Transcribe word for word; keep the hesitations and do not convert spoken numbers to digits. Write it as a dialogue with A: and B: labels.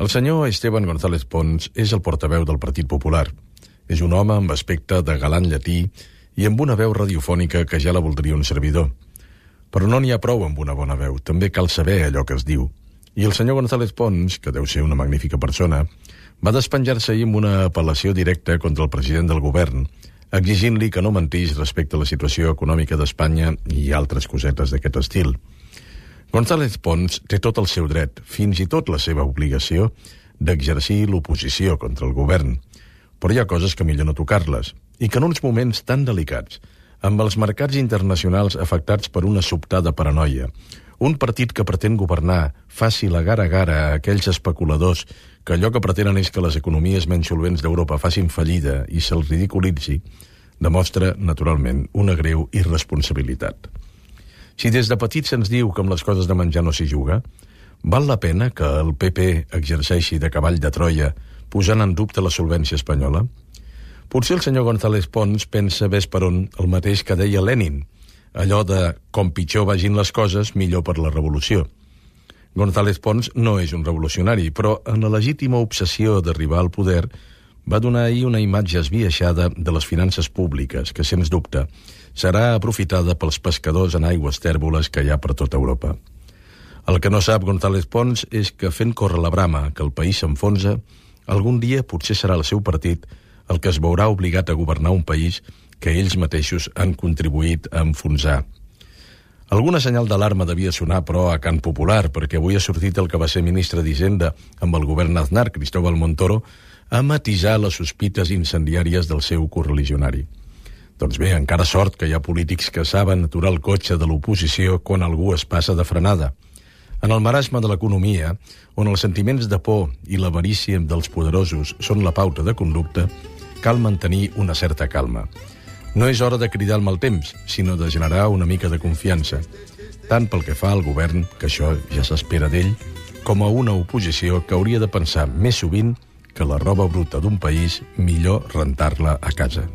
A: El senyor Esteban González Pons és el portaveu del Partit Popular. És un home amb aspecte de galant llatí i amb una veu radiofònica que ja la voldria un servidor. Però no n'hi ha prou amb una bona veu, també cal saber allò que es diu. I el senyor González Pons, que deu ser una magnífica persona, va despenjar-se ahir amb una apel·lació directa contra el president del govern, exigint-li que no mentís respecte a la situació econòmica d'Espanya i altres cosetes d'aquest estil. González Pons té tot el seu dret, fins i tot la seva obligació, d'exercir l'oposició contra el govern. Però hi ha coses que millor no tocar-les, i que en uns moments tan delicats, amb els mercats internacionals afectats per una sobtada paranoia, un partit que pretén governar faci la gara-gara a aquells especuladors que allò que pretenen és que les economies menys solvents d'Europa facin fallida i se'ls ridiculitzi, demostra, naturalment, una greu irresponsabilitat. Si des de petits se'ns diu que amb les coses de menjar no s'hi juga, val la pena que el P P exerceixi de cavall de Troia posant en dubte la solvència espanyola? Potser el senyor González Pons pensa ves per on el mateix que deia Lenin, allò de com pitjor vagin les coses, millor per la revolució. González Pons no és un revolucionari, però en la legítima obsessió d'arribar al poder va donar ahir una imatge esbiaixada de les finances públiques que, sens dubte, serà aprofitada pels pescadors en aigües tèrboles que hi ha per tota Europa. El que no sap González Pons és que fent córrer la brama que el país s'enfonsa, algun dia potser serà el seu partit el que es veurà obligat a governar un país que ells mateixos han contribuït a enfonsar. Alguna senyal d'alarma devia sonar, però, a Can Popular, perquè avui ha sortit el que va ser ministre d'Hisenda amb el govern Aznar, Cristóbal Montoro, a matisar les sospites incendiàries del seu correligionari. Doncs bé, encara sort que hi ha polítics que saben aturar el cotxe de l'oposició quan algú es passa de frenada. En el marasme de l'economia, on els sentiments de por i l'avarícia dels poderosos són la pauta de conducta, cal mantenir una certa calma. No és hora de cridar el mal temps, sinó de generar una mica de confiança, tant pel que fa al govern, que això ja s'espera d'ell, com a una oposició que hauria de pensar més sovint que la roba bruta d'un país millor rentar-la a casa.